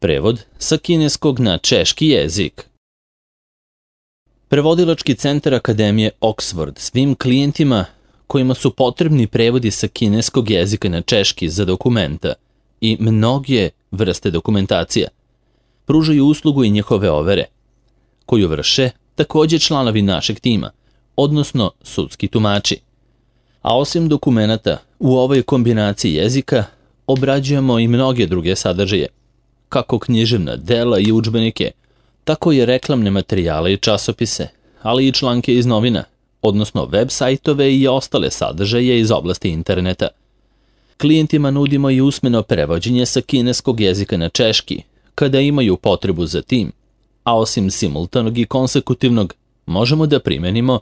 Prevod sa kineskog na češki jezik. Prevodilački centar Akademije Oxford svim klijentima kojima su potrebni prevodi sa kineskog jezika na češki za dokumenta i mnoge vrste dokumentacija pružaju uslugu i njihove overe, koju vrše također članovi našeg tima, odnosno sudski tumači. A osim dokumenata, u ovoj kombinaciji jezika obrađujemo i mnoge druge sadržaje, kako književna dela i udžbenike, tako i reklamne materijale i časopise, ali i članke iz novina, odnosno web sajtove i ostale sadržaje iz oblasti interneta. Klijentima nudimo i usmeno prevođenje sa kineskog jezika na češki, kada imaju potrebu za tim, a osim simultanog i konsekutivnog, možemo da primenimo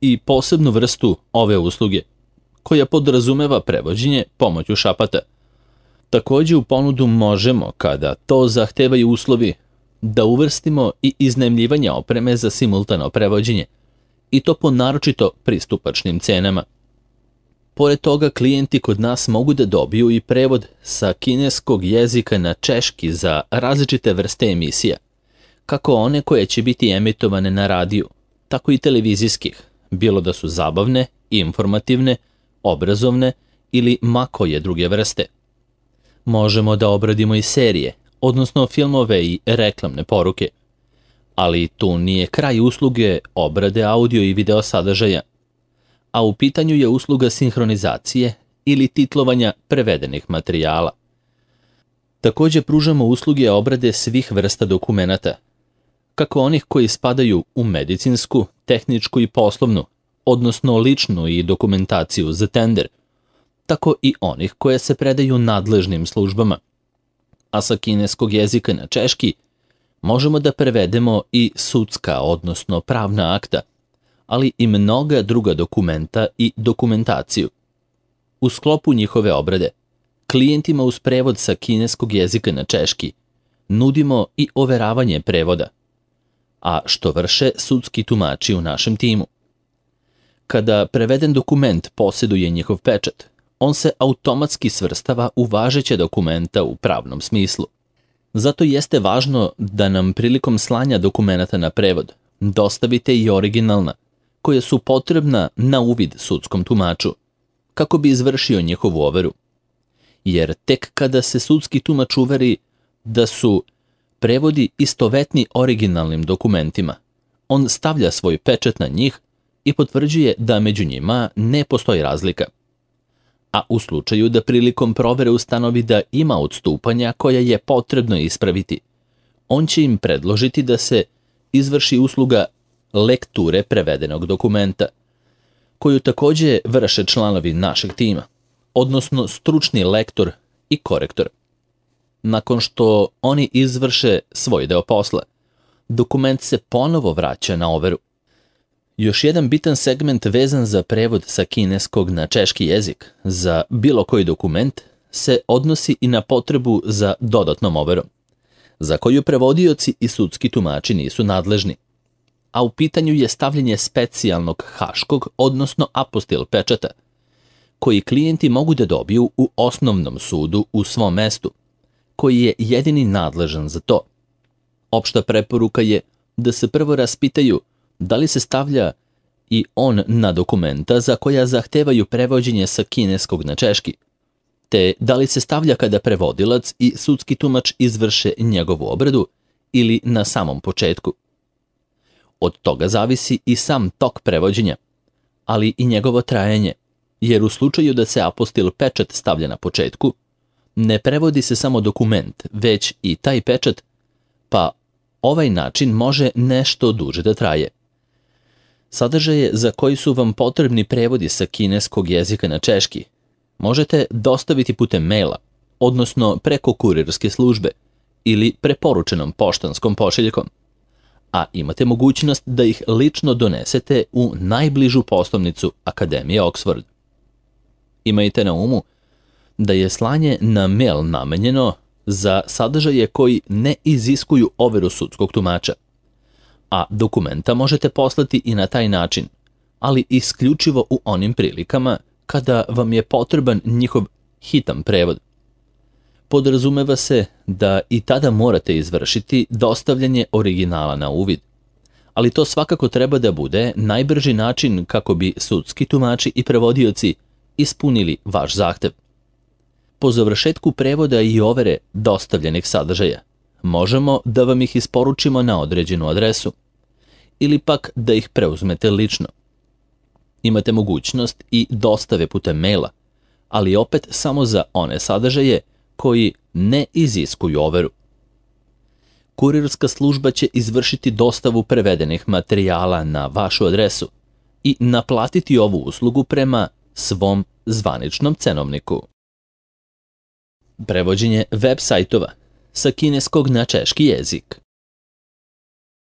i posebnu vrstu ove usluge, koja podrazumeva prevođenje pomoću šapata. Također u ponudu možemo, kada to zahtevaju uslovi, da uvrstimo i iznajmljivanje opreme za simultano prevođenje, i to po naročito pristupačnim cenama. Pored toga, klijenti kod nas mogu da dobiju i prevod sa kineskog jezika na češki za različite vrste emisija, kako one koje će biti emitovane na radiju, tako i televizijskih, bilo da su zabavne, informativne, obrazovne ili ma koje druge vrste. Možemo da obradimo i serije, odnosno filmove i reklamne poruke, ali tu nije kraj usluge obrade audio i video sadržaja, a u pitanju je usluga sinhronizacije ili titlovanja prevedenih materijala. Također pružamo usluge obrade svih vrsta dokumenata, kako onih koji spadaju u medicinsku, tehničku i poslovnu, odnosno ličnu i dokumentaciju za tender, tako i onih koje se predaju nadležnim službama. A sa kineskog jezika na češki možemo da prevedemo i sudska, odnosno pravna akta, ali i mnoga druga dokumenta i dokumentaciju. U sklopu njihove obrade, klijentima uz prevod sa kineskog jezika na češki nudimo i overavanje prevoda, a što vrše sudski tumači u našem timu. Kada preveden dokument posjeduje njihov pečat, on se automatski svrstava u važeće dokumenta u pravnom smislu. Zato jeste važno da nam prilikom slanja dokumenata na prevod dostavite i originalna, koja su potrebna na uvid sudskom tumaču, kako bi izvršio njihovu overu. Jer tek kada se sudski tumač uveri da su prevodi istovetni originalnim dokumentima, on stavlja svoj pečat na njih i potvrđuje da među njima ne postoji razlika. A u slučaju da prilikom provere ustanovi da ima odstupanja koja je potrebno ispraviti, on će im predložiti da se izvrši usluga lekture prevedenog dokumenta, koju također vrše članovi našeg tima, odnosno stručni lektor i korektor. Nakon što oni izvrše svoj deo posla, dokument se ponovo vraća na overu. Još jedan bitan segment vezan za prevod sa kineskog na češki jezik za bilo koji dokument se odnosi i na potrebu za dodatnom overom, za koju prevodioci i sudski tumači nisu nadležni. A u pitanju je stavljanje specijalnog haškog, odnosno apostil pečata, koji klijenti mogu da dobiju u osnovnom sudu u svom mestu, koji je jedini nadležan za to. Opšta preporuka je da se prvo raspitaju da li se stavlja i on na dokumenta za koja zahtevaju prevođenje sa kineskog na češki, te da li se stavlja kada prevodilac i sudski tumač izvrše njegovu obradu ili na samom početku. Od toga zavisi i sam tok prevođenja, ali i njegovo trajanje, jer u slučaju da se apostil pečat stavlja na početku, ne prevodi se samo dokument, već i taj pečat, pa ovaj način može nešto duže da traje. Sadržaje za koji su vam potrebni prevodi sa kineskog jezika na češki možete dostaviti putem maila, odnosno preko kurirske službe ili preporučenom poštanskom pošiljkom, a imate mogućnost da ih lično donesete u najbližu poslovnicu Akademije Oxford. Imajte na umu da je slanje na mail namenjeno za sadržaje koji ne iziskuju overu sudskog tumača, a dokumenta možete poslati i na taj način, ali isključivo u onim prilikama kada vam je potreban njihov hitan prevod. Podrazumeva se da i tada morate izvršiti dostavljanje originala na uvid, ali to svakako treba da bude najbrži način kako bi sudski tumači i prevodioci ispunili vaš zahtev. Po završetku prevoda i overe dostavljenih sadržaja, možemo da vam ih isporučimo na određenu adresu ili pak da ih preuzmete lično. Imate mogućnost i dostave putem maila, ali opet samo za one sadržaje koji ne iziskuju overu. Kurirska služba će izvršiti dostavu prevedenih materijala na vašu adresu i naplatiti ovu uslugu prema svom zvaničnom cenovniku. Prevođenje web sajtova sa kineskog na češki jezik.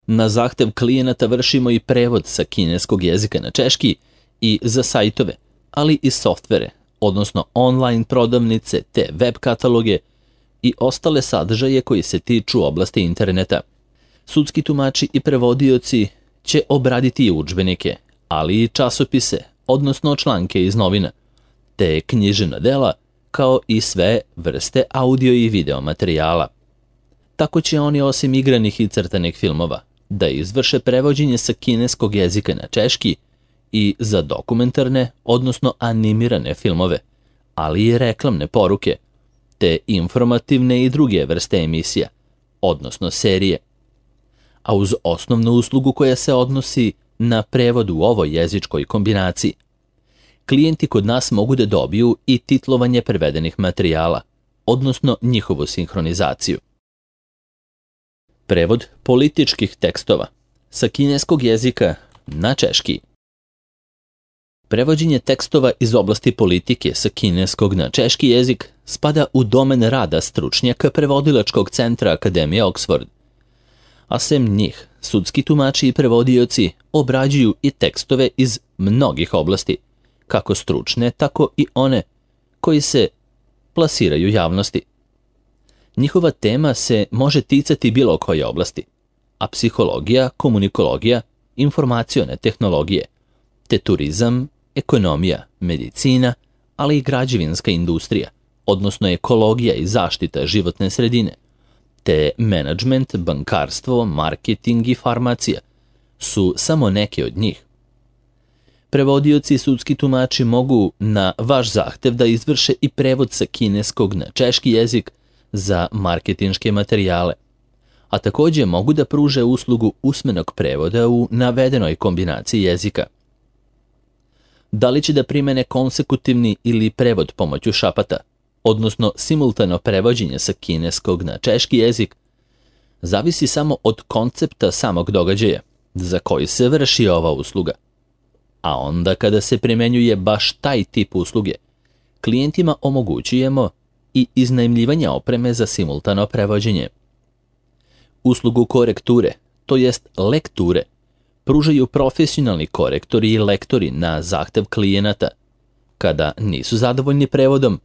Na zahtev klijenata vršimo i prevod sa kineskog jezika na češki i za sajtove, ali i softvere, odnosno online prodavnice te web kataloge i ostale sadržaje koji se tiču oblasti interneta. Sudski tumači i prevodioci će obraditi i udžbenike, ali i časopise, odnosno članke iz novina, te književna dela, kao i sve vrste audio i video materijala. Tako će oni osim igranih i crtanih filmova da izvrše prevođenje sa kineskog jezika na češki i za dokumentarne, odnosno animirane filmove, ali i reklamne poruke, te informativne i druge vrste emisija, odnosno serije. A uz osnovnu uslugu koja se odnosi na prevod u ovoj jezičkoj kombinaciji, klijenti kod nas mogu da dobiju i titlovanje prevedenih materijala, odnosno njihovu sinhronizaciju. Prevod političkih tekstova sa kineskog jezika na češki. Prevođenje tekstova iz oblasti politike sa kineskog na češki jezik spada u domen rada stručnjaka prevodilačkog centra Akademije Oxford. A sem njih, sudski tumači i prevodioci obrađuju i tekstove iz mnogih oblasti, kako stručne, tako i one koji se plasiraju javnosti. Njihova tema se može ticati bilo koje oblasti, a psihologija, komunikologija, informacione tehnologije, te turizam, ekonomija, medicina, ali i građevinska industrija, odnosno ekologija i zaštita životne sredine, te menadžment, bankarstvo, marketing i farmacija su samo neke od njih. Prevodioci i sudski tumači mogu na vaš zahtev da izvrše i prevod sa kineskog na češki jezik za marketinške materijale, a također mogu da pruže uslugu usmenog prevoda u navedenoj kombinaciji jezika. Da li će da primene konsekutivni ili prevod pomoću šapata, odnosno simultano prevođenje sa kineskog na češki jezik, zavisi samo od koncepta samog događaja za koji se vrši ova usluga. A onda kada se primenjuje baš taj tip usluge, klijentima omogućujemo i iznajmljivanje opreme za simultano prevođenje. Uslugu korekture, to jest lekture, pružaju profesionalni korektori i lektori na zahtev klijenata, kada nisu zadovoljni prevodom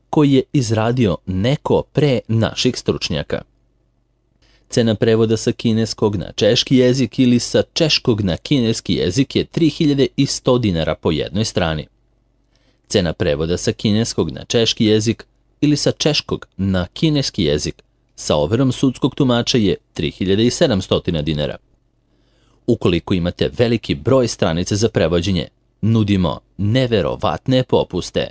koji je izradio neko pre naših stručnjaka. Cena prevoda sa kineskog na češki jezik ili sa češkog na kineski jezik je 3100 dinara po jednoj strani. Cena prevoda sa kineskog na češki jezik ili sa češkog na kineski jezik sa overom sudskog tumača je 3700 dinara. Ukoliko imate veliki broj stranica za prevođenje, nudimo neverovatne popuste.